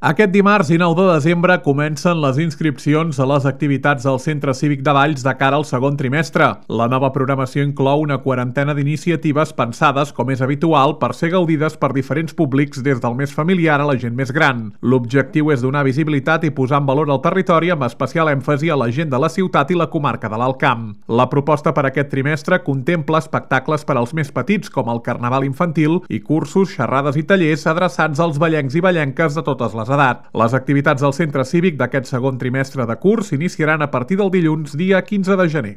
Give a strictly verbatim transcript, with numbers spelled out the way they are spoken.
Aquest dimarts dinou de desembre comencen les inscripcions a les activitats del Centre Cívic de Valls de cara al segon trimestre. La nova programació inclou una quarantena d'iniciatives pensades, com és habitual, per ser gaudides per diferents públics des del més familiar a la gent més gran. L'objectiu és donar visibilitat i posar en valor el territori amb especial èmfasi a la gent de la ciutat i la comarca de l'Alt Camp. La proposta per aquest trimestre contempla espectacles per als més petits, com el Carnaval infantil, i cursos, xerrades i tallers adreçats als vallencs i vallenques de totes les edat. Les activitats del Centre Cívic d'aquest segon trimestre de curs s'iniciaran a partir del dilluns, dia quinze de gener.